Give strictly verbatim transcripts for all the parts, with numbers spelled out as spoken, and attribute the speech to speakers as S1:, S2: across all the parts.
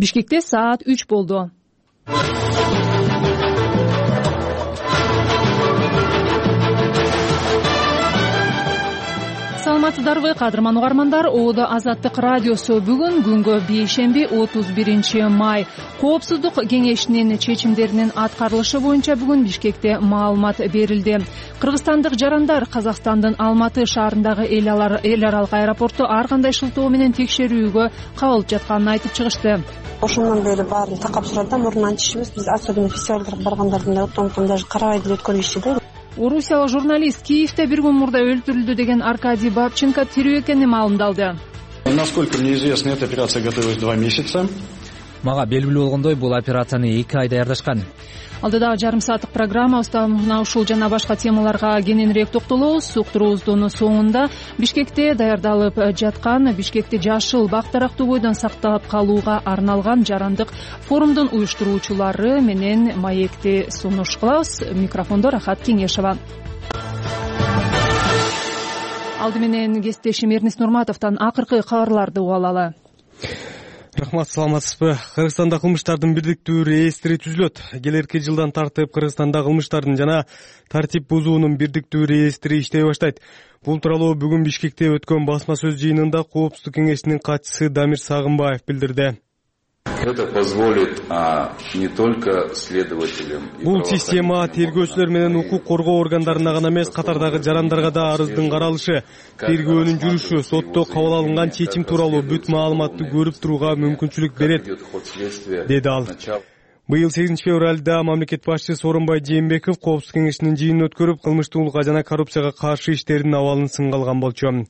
S1: Бишкекте саат үч болду. Саламатсыздарбы, кадырман угармандар? Оодо Азаттык радиосу бүгүн күнгө бейшемби отуз биринчи май Коопсуздук кеңешинин чечимдеринин аткарылышы боюнча бүгүн Бишкекте маалымат берилди. Кыргызстандык жарандар Казакстандын Алматы шаарындагы эл аралык аэропорту ар кандай шылтоо менен текшерүүгө кабылып жатканын айтып чыгышты.
S2: Ошондон бери баарын такап сурат да, мурунан чишибиз. Биз особенно фестивалдарга баргандардын да оттон даже карабай деле өткөрүшчү да.
S1: Орусиялык журналист Киевде бир күн мурда өлтүрүлдү деген Аркадий Бабченко тирүү экенин маалымдалды.
S3: Насколько мне известно, эта операция готовилась два месяца.
S4: Мага белгилүү болгондой, бул операцияны эки ай даярдашкан.
S1: Алдыдагы жарым сааттык программабызда мына ушул жана башка темаларга кененирээк токтолобуз. Уктуруубуздун соңунда Бишкекте даярдалып жаткан Бишкекти жашыл бак дарактуу бойдон сактап калууга арналган жарандык форумдун уюштуруучулары менен маекти сунуш кылабыз. Микрофондо Рахат Кеңешова. Алды менен кесиптешим Эрнис Нурматовдон акыркы кабарларды угуп алалы.
S5: Рахмат, саламатсызбы? Кыргызстанда кылмыштардын бирдиктүү реестри түзүлөт. Келерки жылдан тартып Кыргызстанда кылмыштардын жана тартип бузуунун бирдиктүү реестри иштей баштайт. Бул тууралуу бүгүн Бишкекте өткөн басма сөз жыйынында Коопсуздук кеңешинин катчысы Дамир Сагынбаев билдирди.
S6: Это позволит а, не только следователям.
S5: Бул система тергөөчүлөр менен укук коргоо органдарына гана эмес, катардагы жарандарга да арыздын каралышы, тергөөнүн жүрүшү, сотто кабыл алынган чечим тууралуу бүт маалыматты көрүп турууга мүмкүнчүлүк берет, деди ал. Быйыл сегизинчи февралда мамлекет башчысы Сооронбай Жээнбеков Коопсуздук кеңешинин жыйынын өткөрүп, кылмыштуулукка жана коррупцияга каршы иштердин абалын сынга алган болчу.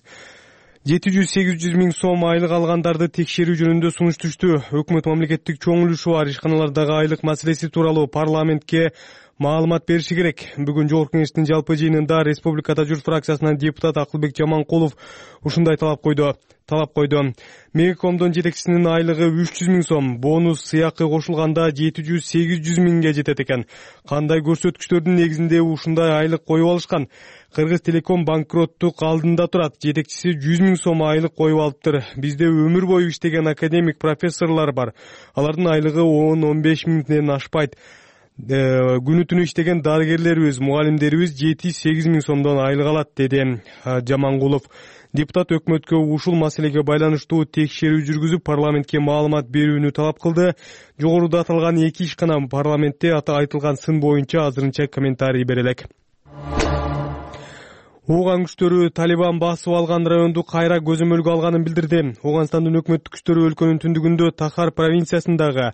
S5: жети жүз сегиз жүз миң сом айлык алгандарды текшерүү жөнүндө сунуш түштү. Өкмөт мамлекеттик чоң үлүшү бар ишканалардагы айлык маселеси тууралуу парламентке маалымат бериши керек. Бүгүн Жогорку кеңештин жалпы жыйынында Республикада журт фракциясынан депутат Акылбек Жаманкулов ушундай талап койду. талап койду. Мегакомдун жетекчисинин айлыгы үч жүз миң сом, бонус сыйакы кошулганда жети жүз сегиз жүз миңге жетет экен. Кандай көрсөткүчтөрдүн негизинде ушундай айлык коюп алышкан? Кыргыз Телеком банкроттук алдында турат. Жетекчиси жүз миң сом айлык коюп алыптыр. Бизде өмүр бою иштеген академик профессорлор бар. Алардын айлыгы он он беш миңден ашпайт. Күнү түнү иштеген дарыгерлерибиз, мугалимдерибиз жети сегиз миң сомдон айлык алат, деди Жамангулов. Депутат өкмөткө ушул маселеге байланыштуу текшерүү жүргүзүп, парламентке маалымат берүүнү талап кылды. Жогоруда аталган эки ишкана парламентте айтылган сын боюнча азырынча комментарий бере элек. Ооган күчтөрү Талибан басып алган районду кайра көзөмөлгө алганын билдирди. Ооганстандын өкмөттүк күчтөрү өлкөнүн түндүгүндө Тахар провинциясындагы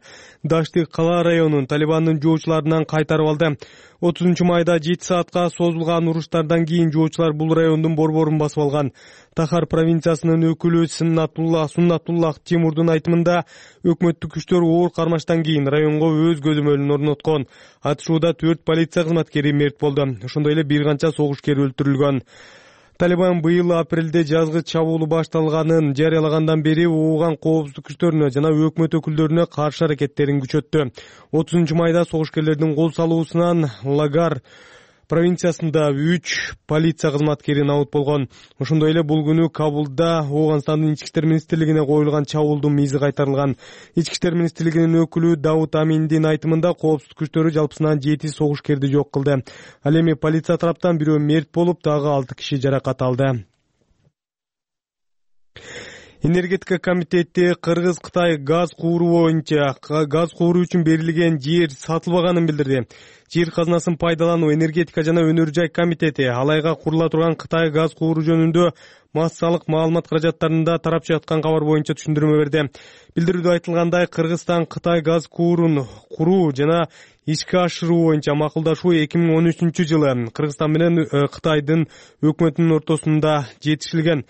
S5: Дашты кала районун Талибандын жоочуларынан кайтарып алды. отузунчу майда жети саатка созулган уруштардан кийин жоочулар бул райондун борборун басып алган. Тахар провинциясынын өкүлү Суннатулла Суннатуллах Тимурдун айтымында, өкмөттүк күчтөр оор кармаштан кийин районго өз көзөмөлүн орноткон. Атышууда төрт полиция кызматкери мерт болду. Ошондой эле бир канча согушкер өлтүрүлгөн. Талибан быйыл апрелде жазгы чабуулу башталганын жарыялагандан бери ооган коопсуздук күчтөрүнө жана өкмөт өкүлдөрүнө каршы аракеттерин күчөттү. отузунчу майда согушкерлердин кол салуусунан Лагар провинциясында үч полиция кызматкери набыт болгон. Ошондой эле бул күнү Кабулда Ооганстандын ички иштер министрлигине коюлган чабуулдун мизи кайтарылган. Ички иштер министрлигинин өкүлү Давут Аминдин айтымында, коопсуздук күчтөрү жалпысынан жети согушкерди жок кылды. Ал эми полиция тараптан бирөө мерт болуп, дагы алты киши жаракат алды. Энергетика комитети Кыргыз-Кытай газ кууру боюнча газ кууру үчүн берилген жер сатылбаганын билдирди. Жер казынасын пайдалануу энергетика жана өнөр жай комитети алайга курула турган Кытай газ кууру жөнүндө массалык маалымат каражаттарында тарап жаткан кабар боюнча түшүндүрмө берди. Билдирүүдө айтылгандай, Кыргызстан Кытай газ куурун куруу жана ишке ашыруу боюнча макулдашуу эки миң он үчүнчү жылы Кыргызстан менен Кытайдын өкмөтүнүн ортосунда жетишилген.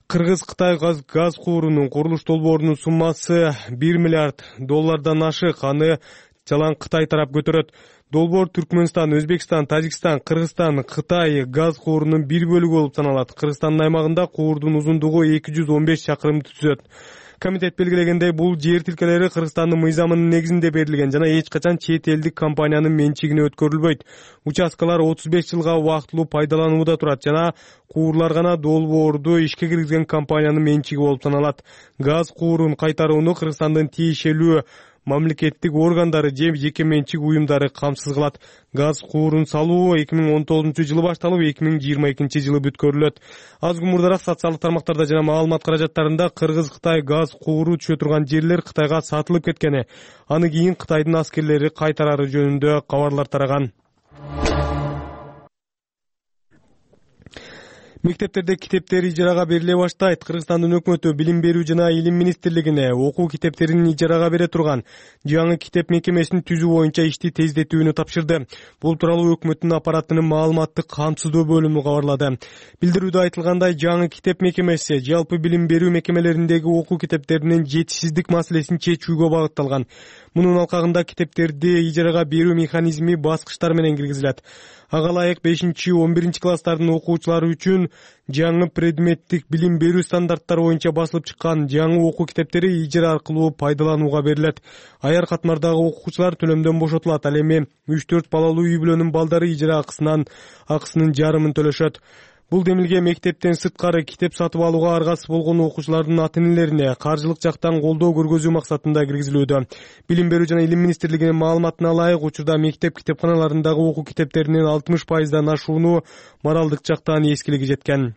S5: Кыргыз-Кытай газ, газ куурунун курулуш долбоорунун суммасы бир миллиард доллардан ашык. Аны жалаң Кытай тарап көтөрөт. Долбоор Түркмөнстан, Өзбекстан, Тажикстан, Кыргызстан, Кытай газ куурунун бир бөлүгү болуп саналат. Кыргызстандын аймагында куурдун узундугу эки жүз он беш чакырымды түзөт. Комитет белгилегендей, бул жер тилкелери Кыргызстандын мыйзамынын негизинде берилген жана эч качан чет элдик компаниянын менчигине өткөрүлбөйт. Участкалар отуз беш жылга убактылуу пайдаланууда турат жана куурлар гана долбоорду ишке киргизген компаниянын менчиги болуп саналат. Газ куурун кайтарууну Кыргызстандын тиешелүү мамлекеттик органдары же жеке менчик уюмдары камсыз кылат. Газ куурун салуу эки миң он тогузунчу жылы башталып, эки миң жыйырма экинчи жылы бүткөрүлөт. Аз күн мурдараак социалдык тармактарда жана маалымат каражаттарында Кыргыз-Кытай газ кууру түшө турган жерлер Кытайга сатылып кеткени, аны кийин Кытайдын аскерлери кайтарары жөнүндө кабарлар тараган. Мектептерде китептер ижарага бериле баштайт. Кыргызстандын өкмөтү Билим берүү жана Илим министрлигине окуу китептерин ижарага бере турган жаңы китеп мекемесин түзүү боюнча ишти тездетүүнү тапшырды. Бул тууралуу өкмөттүн аппаратынын маалыматтык камсыздоо бөлүмү кабарлады. Билдирүүдө айтылгандай, жаңы китеп мекемеси жалпы билим берүү мекемелериндеги окуу китептеринин жетишсиздик маселесин чечүүгө багытталган. Мунун алкагында китептерди ижарага берүү механизми баскычтар менен киргизилет. Ага ылайык бешинчи он биринчи класстардын окуучулары үчүн жаңы предметтик билим берүү стандарттары боюнча басылып чыккан жаңы окуу китептери ижара аркылуу пайдаланууга берилет. Аяр катмардагы окуучулар төлөмдөн бошотулат. Ал эми үч төрт балалуу үй бүлөнүн балдары ижара акысынан акысынын жарымын төлөшөт. Бул демилге мектептен сырткары китеп сатып алууга аргасыз болгон окуучулардын ата-энелерине каржылык жактан колдоо көргөзүү максатында киргизилүүдө. Билим берүү жана Илим министрлигинин маалыматына ылайык, учурда мектеп китепканаларындагы окуу китептеринин алтымыш пайыздан ашууну моралдык жактан эскилиги жеткен.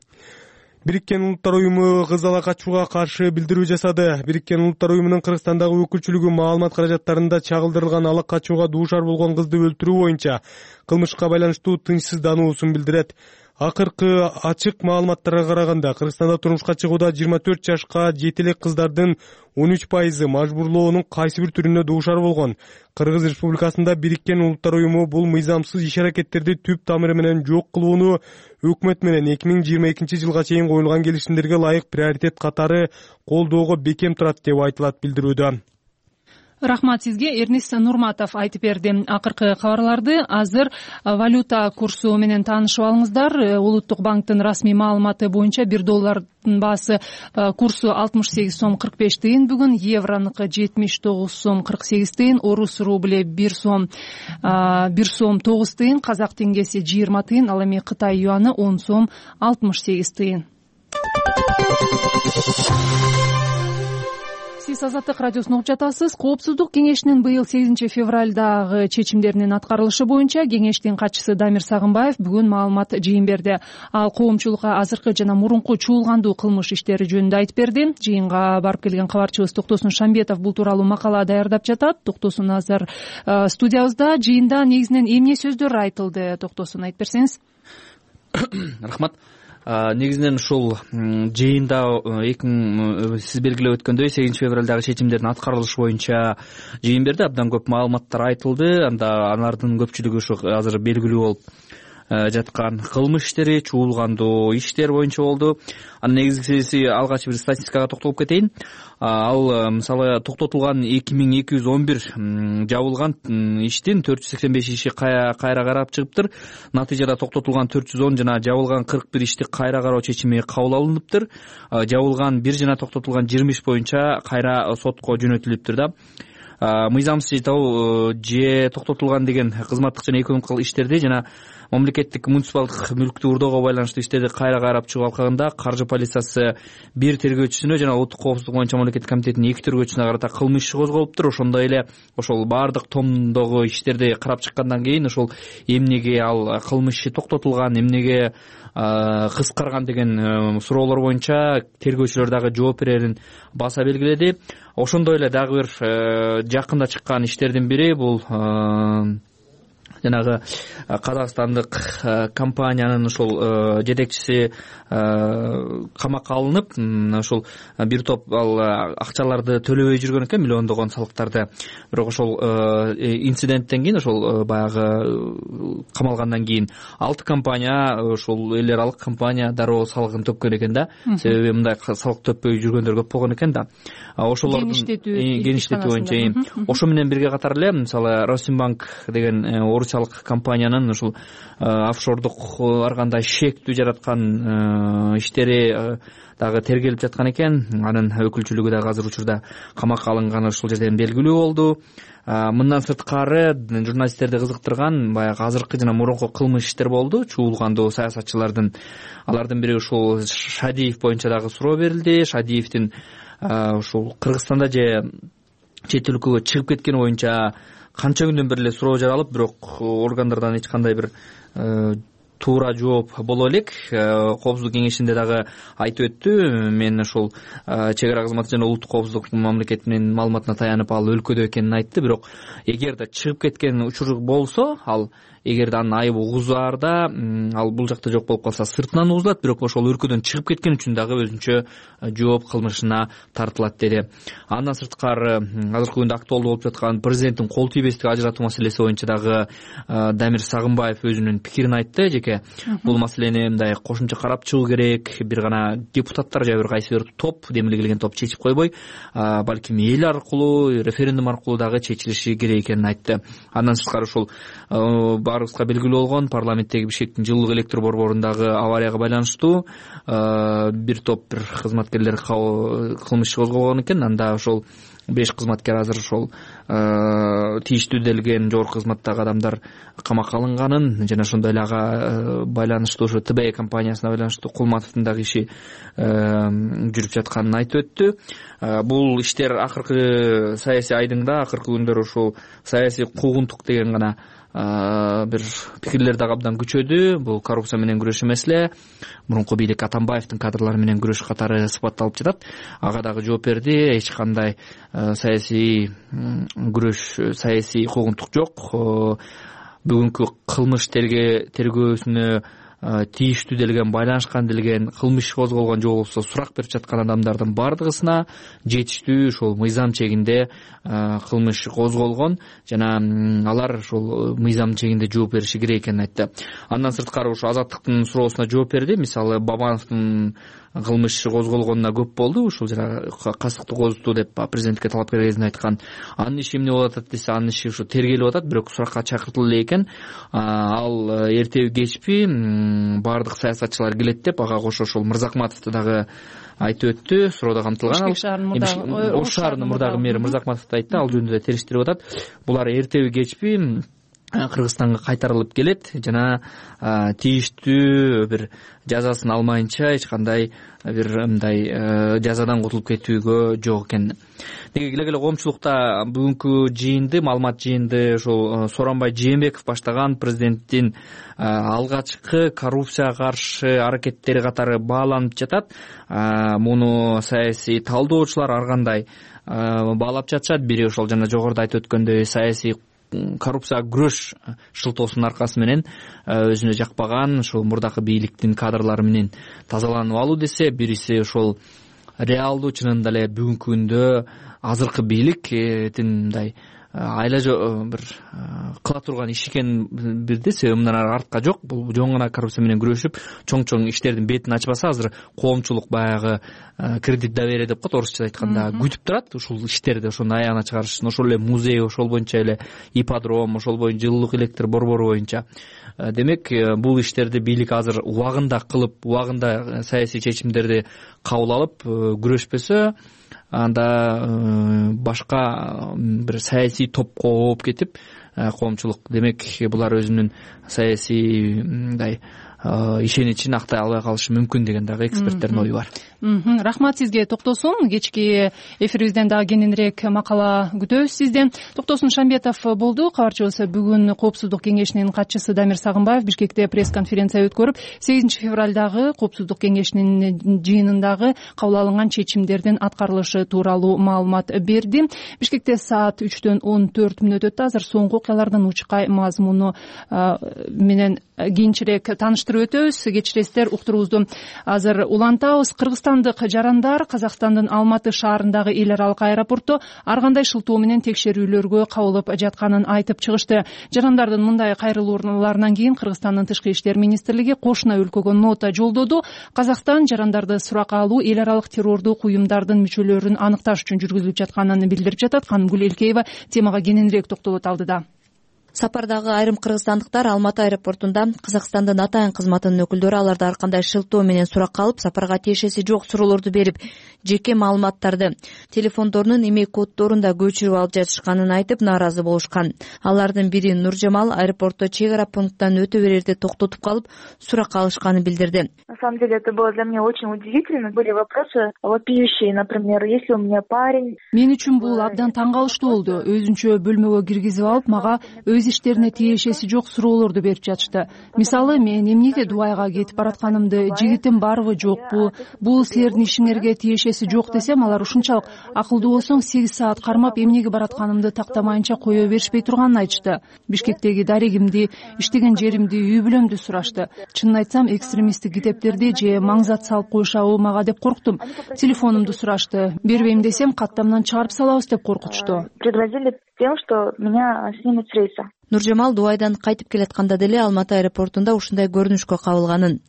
S5: Бириккен Улуттар уюму кыз ала качууга каршы билдирүү жасады. Бириккен Улуттар уюмунун Кыргызстандагы өкүлчүлүгү маалымат каражаттарында чагылдырылган ала качууга дуушар болгон кызды өлтүрүү боюнча кылмышка байланыштуу тынчсыздануусун билдирет. Акыркы ачык маалыматтарга караганда, Кыргызстанда турмушка чыгууда жыйырма төрт жашка жете элек кыздардын он үч пайызы мажбурлоонун кайсы бир түрүнө дуушар болгон. Кыргыз Республикасында Бириккен Улуттар уюму бул мыйзамсыз иш-аракеттерди түп тамыры менен жок кылууну өкмөт менен эки миң жыйырма экинчи жылга чейин коюлган келишимдерге ылайык приоритет катары колдоого бекем турат деп айтылат билдирүүдө.
S1: Рахмат сизге, Эрнис Нурматов айтып берди. Акыркы кабарларды азыр валюта курсу менен таанышып алыңыздар. Улуттук банктын расмий маалыматы боюнча бир доллардын баасы курсу алтымыш сегиз сом кырк беш тыйын, бүгүн евронуку жетимиш тогуз сом кырк сегиз тыйын, орус рубле бир сом бир сом тогуз тыйын, казак теңгеси жыйырма тыйын, ал эми Кытай юаны он сом алтымыш сегиз тыйын. Сиз Азаттык радиосун угуп жатасыз. Коопсуздук кеңешинин быйыл сегизинчи февралдагы чечимдеринин аткарылышы боюнча кеңештин катчысы Дамир Сагынбаев бүгүн маалымат жыйын берди. Ал коомчулукка азыркы жана мурунку чуулгандуу кылмыш иштери жөнүндө айтып берди. Жыйынга барып келген кабарчыбыз Токтосун Шамбетов бул тууралуу макала даярдап жатат. Токтосун азыр студиябызда. Жыйында негизинен эмне сөздөр айтылды? Токтосун айтып берсеңиз.
S4: Рахмат. Негизинен ушул жыйында эки миң сиз белгилеп өткөндөй сегизинчи февралдагы чечимдердин аткарылышы боюнча жыйын берди. Абдан көп маалыматтар айтылды. Анда алардын көпчүлүгү ушу азыр белгилүү болуп жаткан кылмыш иштери, чуулгандуу иштер боюнча болду. Анын негизгиси алгач бир статистикага токтолуп кетейин. Ал мисалы токтотулган эки миң эки жүз он бир жабылган иштин төрт жүз сексен беш иши кайра карап чыгыптыр. Натыйжада токтотулган төрт жүз он жана жабылган кырк бир ишти кайра кароо чечими кабыл алыныптыр. Жабылган бир жана токтотулган жыйырма иш боюнча кайра сотко жөнөтүлүптүр да. Мыйзамсыз итабоо же токтотулган деген кызматтык жана экономикалык иштерди жана мамлекеттик муниципалдык мүлктү урдоого байланыштуу иштерди кайра карап чыгуу алкагында каржы полициясы бир тергөөчүсүнө жана улуттук коопсуздук боюнча мамлекеттик комитетинин эки тергөөчүсүнө карата кылмыш иши козголуптур. Ошондой эле ошол баардык томдогу иштерди карап чыккандан кийин ошол эмнеге ал кылмыш иши токтотулган, эмнеге кыскарган деген суроолор боюнча тергөөчүлөр дагы жооп берерин баса белгиледи. Ошондой эле дагы бир жакында чыккан иштердин бири бул жанагы казакстандык компаниянын ошол жетекчиси камакка алынып, ошол бир топ ал акчаларды төлөбөй жүргөн экен, миллиондогон салыктарды. Бирок ошол инциденттен кийин, ошол баягы камалгандан кийин алты компания, ошол эл аралык компания дароо салыгын төккөн экен да. Себеби мындай салык төппөй жүргөндөр көп болгон экен да. Ошолордун геништетүү боюнча ошо менен бирге катар эле мисалы Росимбанк деген орус коммерциялык компаниянын ушул офшордук ар кандай шектүү жараткан иштери дагы тергелип жаткан экен. Анын өкүлчүлүгү дагы азыр учурда камакка алынганы ушул жерден белгилүү болду. Мындан сырткары журналисттерди кызыктырган баягы азыркы жана мурунку кылмыш иштер болду. Чуулгандуу саясатчылардын алардын бири ушул Шадиев боюнча дагы суроо берилди. Шадиевдин ушул Кыргызстанда же чет өлкөгө чыгып кеткени боюнча канча күндөн бери эле суроо жаралып, бирок органдардан эч кандай бир туура жооп боло элек. Коопсуздук кеңешинде дагы айтып өттү. Мен ошол чек ара кызматы жана улуттук коопсуздук мамлекетинин маалыматына таянып ал өлкөдө экенин айтты. Бирок эгерде чыгып кеткен учур болсо, ал эгерде анын айыбы угузаарда ал бул жакта жок болуп калса сыртынан угузулат, бирок ошол өлкөдөн чыгып кеткен үчүн дагы өзүнчө жооп кылмышына тартылат деди. Андан сырткары азыркы күндө актуалдуу болуп жаткан президенттин кол тийбестик ажыратуу маселеси боюнча дагы Дамир Сагынбаев өзүнүн пикирин айтты. Жеке бул маселени мындай кошумча карап чыгуу керек. Бир гана депутаттар же бир кайсы бир топ, демиле келген топ чечип койбой, балким эл аркылуу, референдум аркылуу дагы чечилиши керек экенин айтты. Андан сырткары ушул баарыбызга белгилүү болгон парламенттеги Бишкектин жылуулук электр борборундагы аварияга байланыштуу бир топ бир кызматкерлер кылмыш козгогон экен. Анда ошол беш кызматкер азыр ошол тийиштүү делген жогорку кызматтагы адамдар камакка алынганын жана ошондой эле ага байланыштуу ошо Т Б компаниясына байланыштуу Кулматовдун дагы иши жүрүп жатканын айтып өттү. Бул иштер акыркы саясий айдыңда, акыркы күндөр ушул саясий куугунтук деген гана бир пикирлер дагы абдан күчөдү. Бул коррупция менен күрөшүү маселе. Мурунку бийлик Атамбаевдин кадрлары менен күрөш катары сыпатталып жатат. Ага дагы жооп берди. Эч кандай саясий күрөш, саясий куугунтук жок. Бүгүнкү кылмыш тергөөсүнө тийиштүү делген, байланышкан делген, кылмыш козголгон же болбосо сурак берип жаткан адамдардын бардыгысына жетиштүү ошол мыйзам чегинде кылмыш козголгон жана алар ошол мыйзам чегинде жооп бериши керек экенин айтты. Андан сырткары ошо Азаттыктын суроосуна жооп берди. Мисалы Бабановдун кылмыш козголгонуна көп болду. Ушул жана кастыкты козутуу деп президентке талапкер кезинде айткан. Анын иши эмне болуп атат десе, анын иши ушу тергелип атат, бирок суракка чакыртылды эле экен. Ал эртеби кечпи баардык саясатчылар келет деп ага кошо ошол Мырзакматовду дагы айтып өттү. Суроодо камтылган. Ош шаарынын мурдагы мэри Мырзакматовду айтты. Ал жөнүндө да териштирип атат. Булар эртеби кечпи Кыргызстанга кайтарылып келет жана тийиштүү бир жазасын алмайынча эч кандай бир мындай жазадан кутулуп кетүүгө жок экен. Деги эле коомчулукта бүгүнкү жыйынды, маалымат жыйынды ошол Сооронбай Жээнбеков баштаган президенттин алгачкы коррупцияга каршы аракеттери катары бааланып жатат. Муну саясий талдоочулар ар кандай баалап жатышат. Бири ошол жана жогоруда айтып өткөндөй саясий коррупцияга күрөш шылтоосунун аркасы менен өзүнө жакпаган ушул мурдакы бийликтин кадрлары менен тазаланып алуу десе, бириси ошол реалдуу чынында эле бүгүнкү күндө азыркы бийликтин мындай айла бир кыла турган иш экен бирде, себеби мындан ары артка жок. Бул жөн гана коррупция менен күрөшүп, чоң-чоң иштердин бетин ачпаса, азыр коомчулук баягы кредит доверие деп коет, орусча айтканда, күтүп турат ушул иштерди, ошону аягына чыгарышын. Ошол эле музей, ошол боюнча эле ипподром, ошол боюнча жылуулук электр борбору боюнча. Демек, бул иштерди бийлик азыр убагында кылып, убагында саясий чечимдерди кабыл алып күрөшпөсө, анда башка бир саясий топко ооп кетип, коомчулук демек булар өзүнүн саясий мындай ишеничин актай албай калышы мүмкүн деген дагы эксперттердин ою бар.
S1: Рахмат сизге, Токтосун. Кечки эфирибизден дагы кененирээк макала күтөбүз сизден. Токтосун Шамбетов болду. Кабарчыбыз бүгүн Коопсуздук кеңешинин катчысы Дамир Сагынбаев Бишкекте пресс-конференция өткөрүп, сегизинчи февралдагы Коопсуздук кеңешинин жыйынындагы кабыл алынган чечимдердин аткарылышы тууралуу маалымат берди. Бишкекте саат үчтөн он төрт мүнөт өттү. Азыр соңку окуялардын учкай мазмуну менен кийинчерээк тааныштырып өтөбүз. Кечиресиздер, уктуруубузду азыр улантабыз. Кыргызстандык жарандар Казакстандын Алматы шаарындагы эл аралык аэропортто ар кандай шылтоо менен текшерүүлөргө кабылып жатканын айтып чыгышты. Жарандардын мындай кайрылууларынан кийин Кыргызстандын Тышкы иштер министрлиги кошуна өлкөгө нота жолдоду. Казакстан жарандарды суракка алуу эл аралык террордук уюмдардын мүчөлөрүн аныкташ үчүн жүргүзүлүп жатканын билдирип жатат. Ханым Гүл Элкеева темага кененирээк токтолот алдыда.
S7: Сапардагы айрым кыргызстандыктар Алматы аэропортунда Казакстандын атайын кызматынын өкүлдөрү аларды ар кандай шылтоо менен суракка алып, сапарга тиешеси жок суроолорду берип, жеке маалыматтарды, телефондорунун имей коддорун да көчүрүп алып жатышканын айтып нааразы болушкан. Алардын бири Нуржамал аэропортто чек ара пункттан өтө берерде токтотуп калып, сурак алышканын билдирди.
S8: На самом деле это было для меня очень удивительно. Были вопросы вопиющие, например, если у меня парень.
S1: Мен үчүн бул абдан таң калыштуу болду. Өзүнчө бөлмөгө киргизип алып, мага өз иштерине тиешеси жок суроолорду берип жатышты. Мисалы, мен эмнеге Дубайга кетип баратканымды, жигитим барбы жокпу, бул силердин ишиңерге тиешеси жок десем, алар ушунчалык акылдуу болсоң сегиз саат кармап эмнеге баратканымды тактамайынча кое беришпей турганын айтышты. Бишкектеги дарегимди, иштеген жеримди, үй бүлөмдү сурашты. Чынын айтсам, экстремисттик китептерди же маңзат салып коюшабы мага деп корктум. Телефонумду сурашты. Бербейм десем, каттамдан чыгарып салабыз деп коркутушту.
S8: Пригрозили тем, что меня снимут с рейса.
S7: Нуржамал Дубайдан кайтып келатканда деле Алматы аэропортунда ушундай көрүнүшкө кабылганын,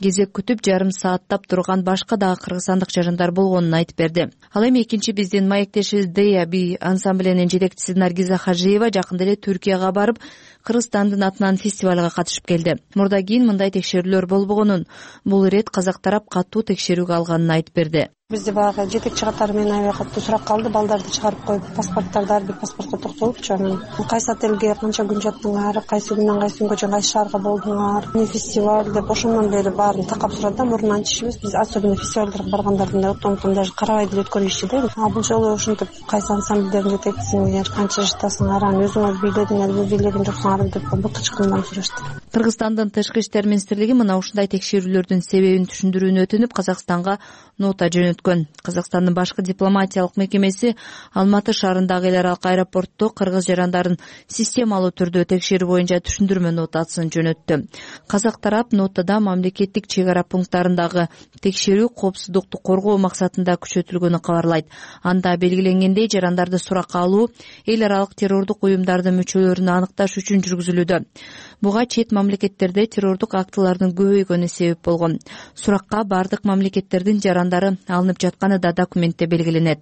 S7: кезек күтүп жарым сааттап турган башка дагы кыргызстандык жарандар болгонун айтып берди. Ал эми экинчи биздин маектешибиз Дея би ансамблинин жетекчиси Наргиза Хажиева жакында эле Түркияга барып, Кыргызстандын атынан фестивалга катышып келди. Мурда кийин мындай текшерүүлөр болбогонун, бул ирет казак тарап катуу текшерүүгө алганын айтып берди.
S2: Бизде баягы жетекчи катары менен аябай катуу сурак калды. Балдарды чыгарып коюп, паспорттарды ар бир паспортко токтолупчу. Анан кайсы отелге канча күн жаттыңар, кайсы күндөн кайсы күнгө чейин кайсы шаарга болдуңар, эмне фестиваль деп ошондон бери баарын такап сурады да. Мурунан чишибиз биз особенно фестивалдарга баргандардын отомтон даже карабай деле өткөрүшчү да. А бул жолу ушинтип кайсы ансамбльдердин жетекчисиңер, канча жыттасыңар, анан өзүңөр бийледиңерби, бийлеген жоксуңарбы деп бутачкандан сурашты.
S7: Кыргызстандын тышкы иштер министрлиги мына ушундай текшерүүлөрдүн себебин түшүндүрүүнү өтүнүп, Казакстанга нота жөнөткөн. Казакстандын башкы дипломатиялык мекемеси Алматы шаарындагы эл аралык аэропортто кыргыз жарандарын системалуу түрдө текшерүү боюнча түшүндүрмө нотасын жөнөттү. Казак тарап нотада мамлекеттик чек ара пункттарындагы текшерүү коопсуздукту коргоо максатында күчөтүлгөнү кабарлайт. Анда белгиленгендей, жарандарды суракка алуу эл аралык террордук уюмдардын мүчөлөрүн аныкташ үчүн жүргүзүлүүдө. Буга чет мамлекеттерде террордук актылардын көбөйгөнү себеп болгон. Суракка бардык мамлекеттердин жарандары алынып жатканы да документте белгиленет.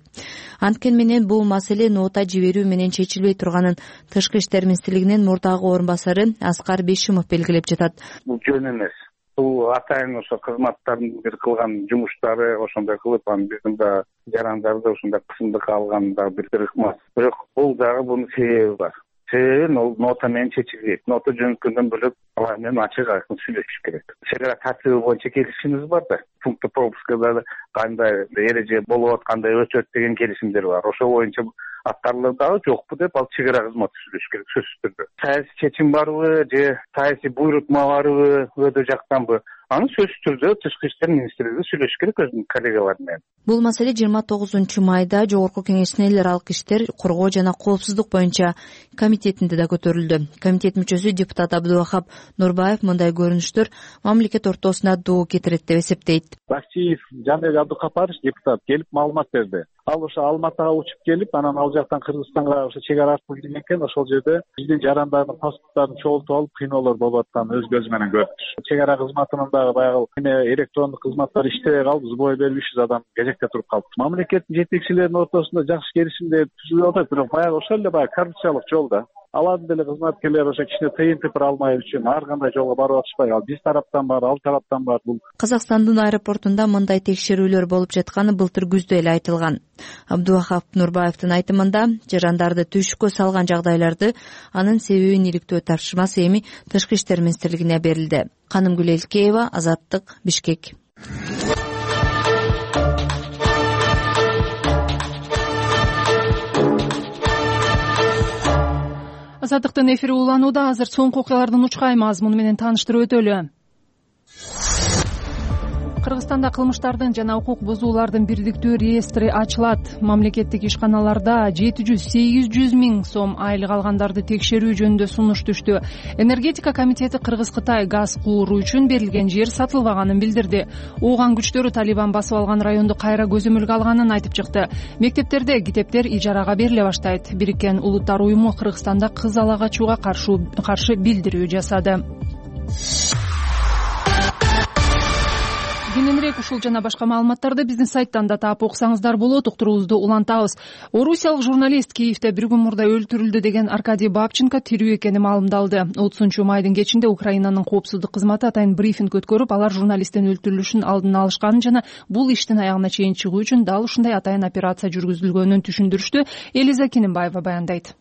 S7: Анткени менен бул маселе нота жиберүү менен чечилбей турганын Тышкы иштер министрлигинин мурдагы орун басары Аскар Бешимов белгилеп жатат.
S9: Бул жөн эмес. Бул атайын ошо кызматтардын бир кылган жумуштары ошондой кылып, анан биздин да жарандарды ошондой кысымдыкка алган да бир ыкмас. Бирок бул дагы бунун себеби бар. Себеби нота менен чечилбейт. Нота жөнөткөндөн бөлөк алар менен ачык айкын сүйлөшүш керек. Чек ара тартиби боюнча келишимиз бар да. Пункт пропускада кандай эреже болуп аткандай өтөт деген келишимдер бар. Ошол боюнча аткарылдыбы жокпу деп ал чек ара кызматы сүйлөшүш керек сөзсүз түрдө. Саясий чечим барбы же саясий буйрутма барбы, өдө жактанбы? Аны сөзсүз түрдө Тышкы иштер министрлиги сүйлөшүш керек өзүнүн коллегалары менен.
S7: Бул маселе жыйырма тогузунчу майда Жогорку Кеңештин эл аралык иштер, коргоо жана коопсуздук боюнча комитетинде да көтөрүлдү. Комитет мүчөсү депутат Абдувахап Нурбаев мындай көрүнүштөр мамлекет ортосуна доо кетирет деп эсептейт.
S10: Бакчиев Жанбек Абдукапарович депутат келип маалымат берди. Ал ошо Алматыга учуп келип, анан ал жактан Кыргызстанга ошо чек ара аркылуу кирген экен. Ошол жерде биздин жарандардын паспорттарын чогултуп алып, кыйноолор болуп атканын өз көзү менен көрдү. Чек ара кызматынын дагы баягы электрондук кызматтар иштебей калды, бой берип үч жүз адам кезекте туруп калды. Мамлекеттин жетекчилеринин ортосунда жакшы келишимдер түзүлүп атат, бирок баягы ошол эле баягы коррупциялык жол да. Алардын деле кызматкерлери ошо кичине тыйын тыпыр алмай үчүн ар кандай жолго барып атышпайбы? Ал биз тараптан бар, ал тараптан бар. Бул
S7: Казакстандын аэропортунда мындай текшерүүлөр болуп жатканы былтыр күздө эле айтылган. Абдувахап Нурбаевдин айтымында, жарандарды түйшүккө салган жагдайларды анын себебин иликтөө тапшырмасы эми Тышкы иштер министрлигине берилди. Канымгүл Элкеева, Азаттык, Бишкек.
S1: Азаттыктын эфири уланууда. Азыр соңку окуялардын учкай мазмуну менен тааныштырып өтөлү. Кыргызстанда кылмыштардын жана укук бузуулардын бирдиктүү реестри ачылат. Мамлекеттик ишканаларда жети жүз сегиз жүз миң сом айлык алгандарды текшерүү жөнүндө сунуш түштү. Энергетика комитети Кыргыз-Кытай газ кууру үчүн берилген жер сатылбаганын билдирди. Ооган күчтөрү Талибан басып алган районду кайра көзөмөлгө алганын айтып чыкты. Мектептерде китептер ижарага бериле баштайт. Бириккен Улуттар уюму Кыргызстанда кыз ала качууга каршы билдирүү жасады. кененирээк ушул жана башка маалыматтарды биздин сайттан да таап окусаңыздар болот. Уктуруубузду улантабыз. Орусиялык журналист Киевде бир күн мурда өлтүрүлдү деген Аркадий Бабченко тирүү экени маалымдалды. отузунчу майдын кечинде Украинанын коопсуздук кызматы атайын брифинг өткөрүп, алар журналисттин өлтүрүлүшүн алдын алышканын жана бул иштин аягына чейин чыгуу үчүн дал ушундай атайын операция жүргүзүлгөнүн түшүндүрүштү. Элиза Кинембаева баяндайт.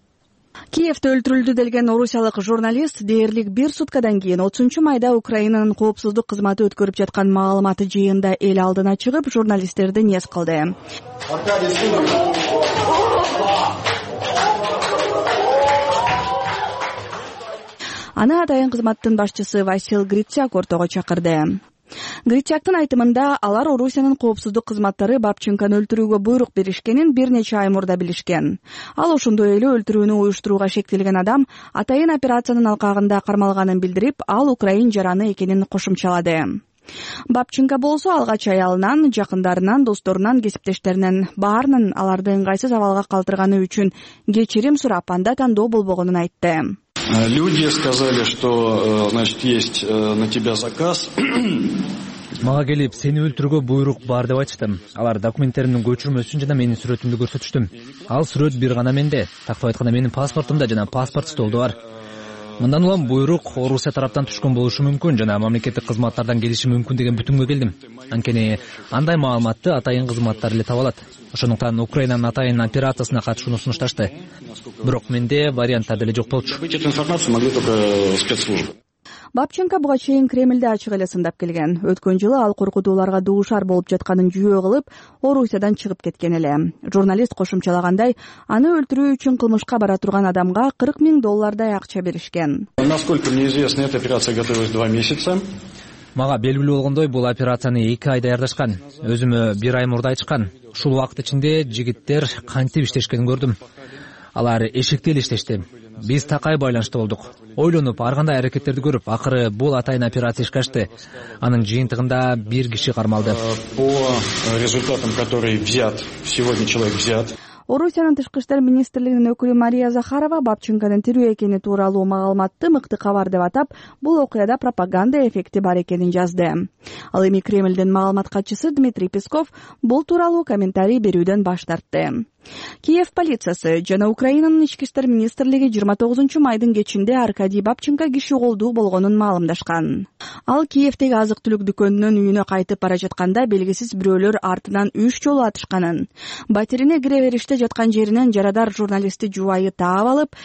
S11: Киевде өлтүрүлдү делген орусиялык журналист дээрлик бир суткадан кийин отузунчу майда Украинанын коопсуздук кызматы өткөрүп жаткан маалыматы жыйында эл алдына чыгып, журналисттерди нез кылды. Аны атайын кызматтын башчысы Васил Грицяк ортого чакырды. Грицяктын айтымында, алар Орусиянын коопсуздук кызматтары Бабченкону өлтүрүүгө буйрук беришкенин бир нече ай мурда билишкен. Ал ошондой эле өлтүрүүнү уюштурууга шектелген адам атайын операциянын алкагында кармалганын билдирип, ал украин жараны экенин кошумчалады. Бабченко болсо алгач аялынан, жакындарынан, досторунан, кесиптештеринен баарынын аларды ыңгайсыз абалга калтырганы үчүн кечирим сурап, анда тандоо болбогонун айтты.
S3: Люди сказали, что, значит, есть на тебя заказ.
S12: Мага келип, сени өлтүрүүгө буйрук бар деп айтышты. Алар документтеримдин көчүрмөсүн жана менин сүрөтүмдү көрсөтүштү. Ал сүрөт бир гана менде, тактап айтканда менин паспортумда жана паспорт столдо бар. Мындан улам буйрук Орусия тараптан түшкөн болушу мүмкүн жана мамлекеттик кызматтардан келиши мүмкүн деген бүтүнгө келдим. Анткени андай маалыматты атайын кызматтар эле таба алат. Ошондуктан Украинанын атайын операциясына катышууну сунушташты. Бирок менде варианттар деле жок болчу.
S11: Бабченко буга чейин Кремльде ачык эле сындап келген. Өткөн жылы ал коркутууларга дуушар болуп жатканын жүйө кылып, Орусиядан чыгып кеткен эле. Журналист кошумчалагандай, аны өлтүрүү үчүн кылмышка бара турган адамга кырк миң доллардай акча беришкен.
S3: Насколько мне известно, эта операция готовилась два месяца.
S12: Мага белгилүү болгондой, бул операцияны эки ай даярдашкан. Өзүмө бир ай мурда айтышкан. Ушул убакыт ичинде жигиттер кантип иштешкенин көрдүм. Алар эшикте эле иштешти. Биз такай байланышта болдук. Ойлонуп, ар кандай аракеттерди көрүп, акыры бул атайын операция ишке ашты. Анын жыйынтыгында бир киши кармалды.
S3: По результатам, который взят, сегодня человек взят.
S11: Орусиянын тышкы иштер министрлигинин өкүлү Мария Захарова Бабченконун тирүү экени тууралуу маалыматты мыкты кабар деп атап, бул окуяда пропаганда эффекти бар экенин жазды. Ал эми Кремлдин маалымат катчысы Дмитрий Песков бул тууралуу комментарий берүүдөн баш тартты. Киев полициясы жана Украинанын ички иштер министрлиги жыйырма тогузунчу майдын кечинде Аркадий Бабченко киши колдуу болгонун маалымдашкан. Ал Киевдеги азык-түлүк дүкөнүнөн үйүнө кайтып бара жатканда белгисиз бирөөлөр артынан үч жолу атышканын. Батирине кире бериште жаткан жеринен жарадар журналистти жубайы таап алып,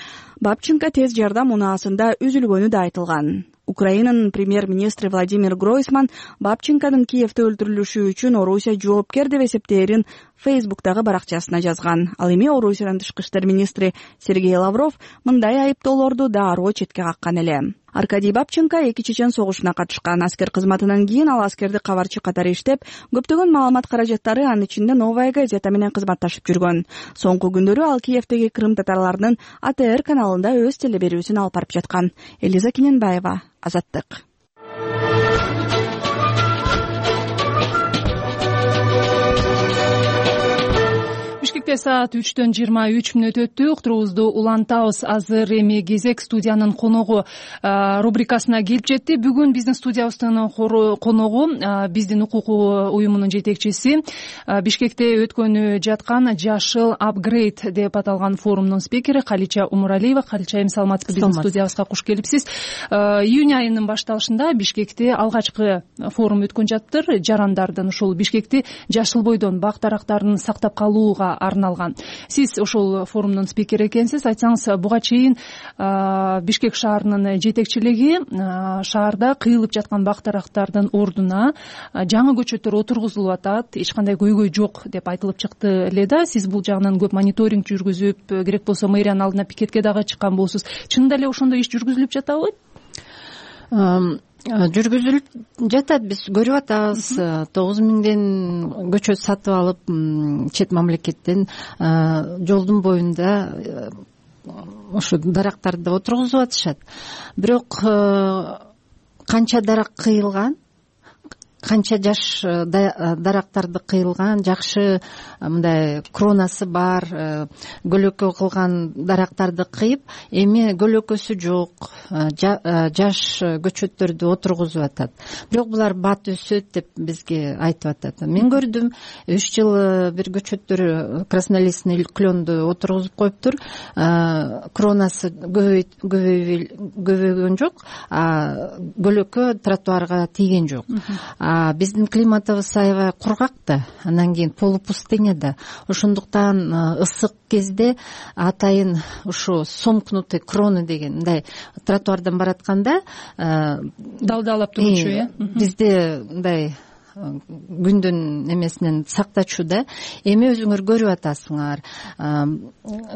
S11: Бабченко тез жардам унаасында үзүлгөнү да айтылган. Украинанын премьер-министри Владимир Гройсман Бабченконун Киевде өлтүрүлүшү үчүн Орусия жоопкер деп эсептээрин Фейсбуктагы баракчасына жазган. Ал эми Орусиянын тышкы иштер министри Сергей Лавров мындай айыптоолорду дароо четке каккан эле. Аркадий Бабченко эки чечен согушуна катышкан. Аскер кызматынан кийин ал аскерди кабарчы катары иштеп, көптөгөн маалымат каражаттары, анын ичинде Новая газета менен кызматташып жүргөн. Соңку күндөрү ал Киевдеги Крым татарларынын А Т Р каналында өз телеберүүсүн алып барып жаткан. Элиза Кинембаева, Азаттык.
S1: Бишкекте саат үчтөн жыйырма үч мүнөт өттү. Уктуруубузду улантабыз. Азыр эми кезек студиянын коногу рубрикасына келип жетти. Бүгүн биздин студиябыздын коногу биздин укук уюмунун жетекчиси, Бишкекте өткөнү жаткан Жашыл апгрейд деп аталган форумдун спикери Калича Умуралиева. Калича, эми саламатсызбы? Биздин студиябызга куш келипсиз. Июнь айынын башталышында Бишкекте алгачкы форум өткөн жаттыр. Жарандардын ушул Бишкекти жашыл бойдон бак дарактарын сактап калууга арналган. Сиз ошол форумдун спикери экенсиз. Айтсаңыз, буга чейин Бишкек шаарынын жетекчилиги шаарда кыйылып жаткан бак дарактардын ордуна жаңы көчөттөр отургузулуп атат, эч кандай көйгөй жок деп айтылып чыкты эле да. Сиз бул жагынан көп мониторинг жүргүзүп, керек болсо мэриянын алдына пикетке дагы чыккан болосуз. Чынында эле ошондой иш жүргүзүлүп жатабы?
S13: Жүргүзүлүп жатат, биз көрүп атабыз. тогуз миңден көчөт сатып алып, чет мамлекеттен жолдун боюнда ошо дарактарды отургузуп атышат. Бирок канча дарак кыйылган, канча жаш дарактарды кыйылган, жакшы мындай кронасы бар, көлөкө кылган дарактарды кыйып, эми көлөкөсү жок жаш көчөттөрдү отургузуп атат. Бирок булар бат өсөт деп бизге айтып атат. Мен көрдүм, үч жыл бир көчөттөр краснолистный кленду отургузуп коюптур, кронасы көбөйгөн жок, көлөкө тротуарга тийген жок. Биздин климатыбыз аябай кургак да, анан кийин полупустыня да. Ошондуктан ысык кезде атайын ушу сомкнутый кроны деген мындай тротуардан баратканда
S1: далдалап турчу, э?
S13: Бизде мындай күндүн эмесинен сактачу да. Эми өзүңөр көрүп атасыңар,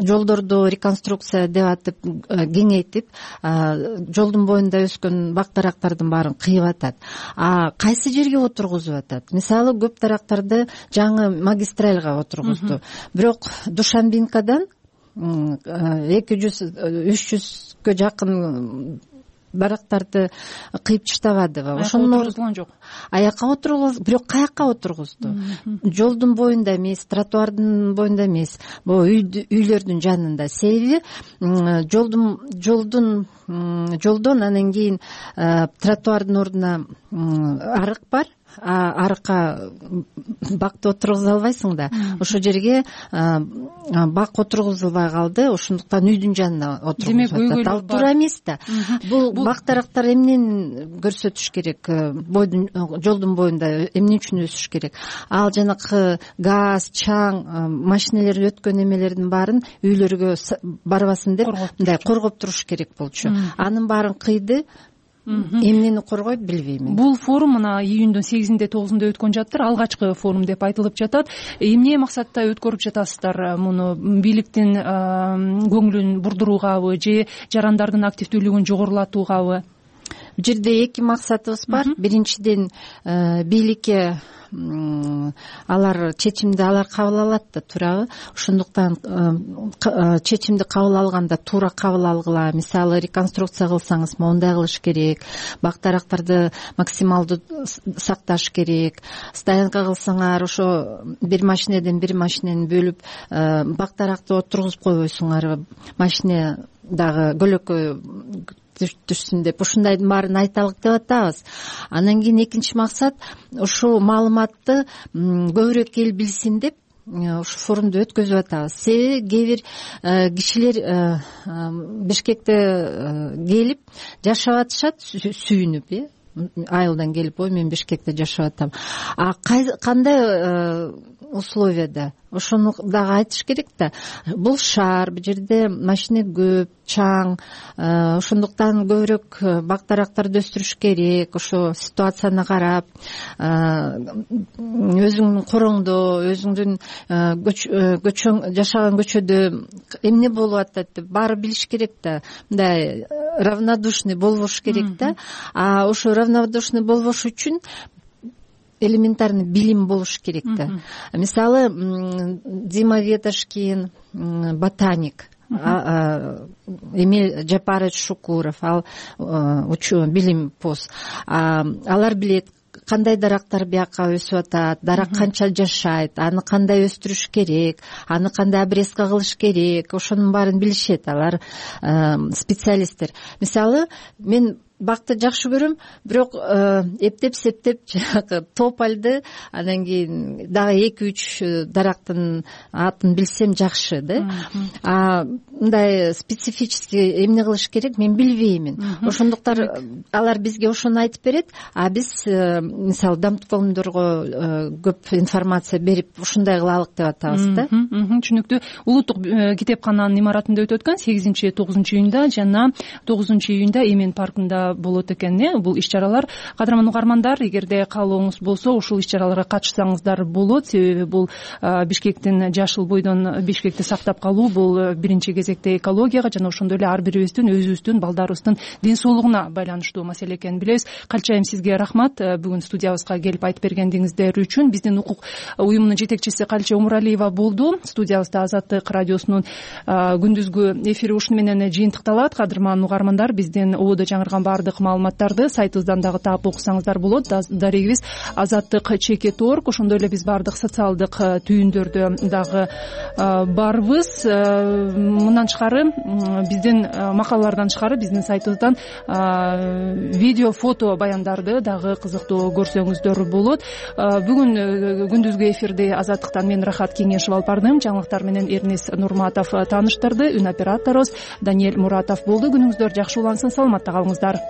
S13: жолдорду реконструкция деп атып кеңейтип, жолдун боюнда өскөн бак дарактардын баарын кыйып атат. А кайсы жерге отургузуп атат? Мисалы, көп дарактарды жаңы магистральга отургузду. Бирок Душанбинкадан эки жүз үч жүзгө жакын дарактарды кыйып таштабадыбы?
S1: Ошону отургузган жок.
S13: Аяка отургуз, бирок каякка отургузду? Жолдун боюнда эмес, тротуардын боюнда эмес, могу үйлөрдүн жанында. Себеби жолдун жолдун жолдон анан кийин тротуардын ордуна арык бар. Арыкка бакты отургуза албайсың да. Ошол жерге бак отургузулбай калды, ошондуктан үйдүн жанына отургузуп атат. Ал туура эмес да. Бул бак дарактар эмнени көрсөтүш керек? Бойдун жолдун боюнда эмне үчүн өсүш керек? Ал жанакы газ, чаң, машиналер өткөн эмелердин баарын үйлөргө барбасын деп мындай коргоп туруш керек болчу. Анын баарын кыйды. Эмнени коргойт билбейм.
S1: Бул форум мына июндун сегизинде тогузунда өткөн жаттыр. Алгачкы форум деп айтылып жатат. Эмне максатта өткөрүп жатасыздар муну? Бийликтин көңүлүн бурдуруугабы же жарандардын активдүүлүгүн жогорулатуугабы?
S13: Бул жерде эки максатыбыз бар. Биринчиден, бийликке алар чечимди алар кабыл алат да, туурабы? Ошондуктан чечимди кабыл алганда туура кабыл алгыла. Мисалы, реконструкция кылсаңыз моундай кылыш керек, бак дарактарды максималдуу сакташ керек. Стоянка кылсаңар, ошо бир машинеден бир машинени бөлүп бак даракты отургузуп койбойсуңар, машина дагы көлөкө түшсүн деп. Ушундайдын баарын айталык деп атабыз. Анан кийин экинчи максат, ушул маалыматты көбүрөөк эл билсин деп ушу форумду өткөзүп атабыз. Себеби кээ бир кишилер Бишкекте келип жашап атышат, сүйүнүп, э айылдан келип, ой мен Бишкекте жашап атам. А кандай условияда? Ошону дагы айтыш керек да. Бул шаар, бул жерде машина көп, чаң, ошондуктан көбүрөөк бак дарактарды өстүрүш керек. Ошо ситуацияны карап, өзүңдүн короңдо, өзүңдүн көчөң жашаган көчөдө эмне болуп атат деп баары билиш керек да. Мындай равнодушный болбош керек да. А ошо равнодушный болбош үчүн элементарный билим болуш керек да. Мисалы, Дима Ветошкин, ботаник, Эмиль Жапарович Шукуров, ал билим пост. Алар билет кандай дарактар бияка өсүп атат, дарак канча жашайт, аны кандай өстүрүш керек, аны кандай обрезка кылыш керек, ошонун баарын билишет алар специалисттер. Мисалы, мен бакты жакшы көрөм, бирок эптеп септеп жанагы тополду, анан кийин дагы эки үч дарактын атын билсем жакшы да. А мындай специфический эмне кылыш керек мен билбеймин. Ошондуктан алар бизге ошону айтып берет, а биз мисалы дамткомдорго көп информация берип ушундай кылалык деп атабыз да.
S1: Түшүнүктүү. Улуттук китепкананын имаратында өтүп өткөн сегизинчи тогузунчу июнда жана тогузунчу июнда Эмен паркында болот экен. Бул иш-чаралар, кадырман угармандар, эгерде каалооңуз болсо, ушул иш-чараларга катышсаңыздар болот. Себеби бул Бишкектин жашыл бойдон Бишкекти сактап калуу, бул биринчи кезекте экологияга жана ошондой эле ар бирибиздин өзүбүздүн, балдарыбыздын ден соолугуна байланыштуу маселе экенин билебиз. Калчайым, сизге рахмат бүгүн студиябызга келип айтып бергендиңиздер үчүн. Биздин укук уюмунун жетекчиси Калча Умуралиева болду. Студиябызда Азаттык радиосунун күндүзгү эфири ушуну менен жыйынтыкталат. Кадырман угармандар, биздин ободо жаңырган баардык маалыматтарды сайтыбыздан дагы таап окусаңыздар болот. Дарегибиз азаттык чекит орг. Ошондой эле биз баардык социалдык түйүндөрдө дагы барбыз. Мындан тышкары биздин макалалардан тышкары биздин сайтыбыздан видео, фото баяндарды дагы кызыктуу көрсөңүздөр болот. Бүгүн күндүзгү эфирди Азаттыктан мен Рахат Кеңешев алып бардым. Жаңылыктар менен Эрнис Нурматов тааныштырды. Үн операторубуз Даниэль Муратов болду. Күнүңүздөр жакшы улансын, саламатта калыңыздар.